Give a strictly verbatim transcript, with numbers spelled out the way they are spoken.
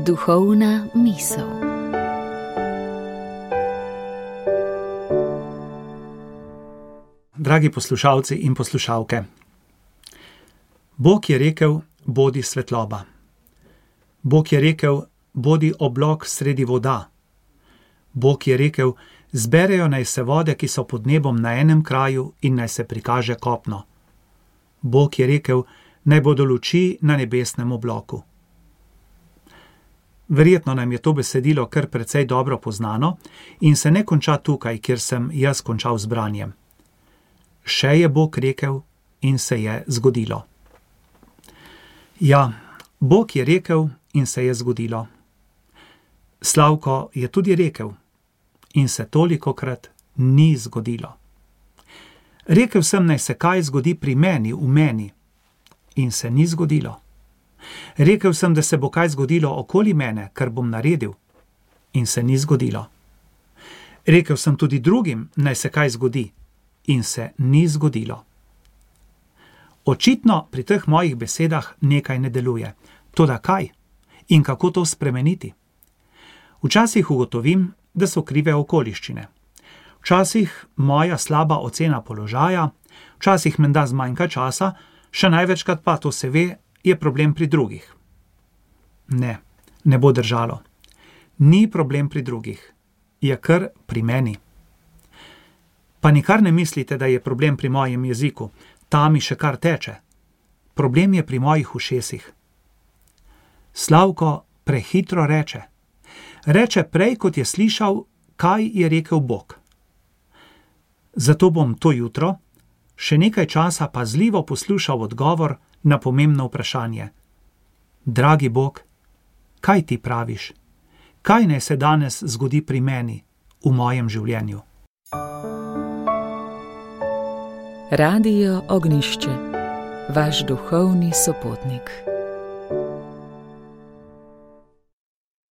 Duhovna misel. Dragi poslušalci in poslušalke, Bog je rekel, bodi svetloba. Bog je rekel, bodi oblak sredi voda. Bog je rekel, zberejo naj se vode, ki so pod nebom na enem kraju in naj se prikaže kopno. Bog je rekel, naj bodo luči na nebesnem oblaku. Verjetno nam je to besedilo kar precej dobro poznano in se ne konča tukaj, kjer sem jaz končal z branjem. Še je Bog rekel in se je zgodilo. Ja, Bog je rekel in se je zgodilo. Slavko je tudi rekel in se tolikokrat ni zgodilo. Rekel sem, naj se kaj zgodi pri meni, v meni, in se ni zgodilo. Rekel sem, da se bo kaj zgodilo okoli mene, kar bom naredil, in se ni zgodilo. Rekel sem tudi drugim, naj se kaj zgodi, in se ni zgodilo. Očitno pri teh mojih besedah nekaj ne deluje. Toda kaj? In kako to spremeniti? Včasih ugotovim, da so krive okoliščine. Včasih moja slaba ocena položaja, včasih menda zmanjka časa, še največkrat pa to se ve, je problem pri drugih. Ne, ne bo držalo. Ni problem pri drugih, je kar pri meni. Pa nikar ne mislite, da je problem pri mojem jeziku, ta mi še kar teče. Problem je pri mojih ušesih. Slavko prehitro reče. Reče prej, kot je slišal, kaj je rekel Bog. Zato bom to jutro še nekaj časa pazljivo poslušal odgovor na pomembno vprašanje. Dragi Bog, kaj ti praviš? Kaj naj se danes zgodi pri meni, v mojem življenju? Radio Ognjišče, vaš duhovni sopotnik.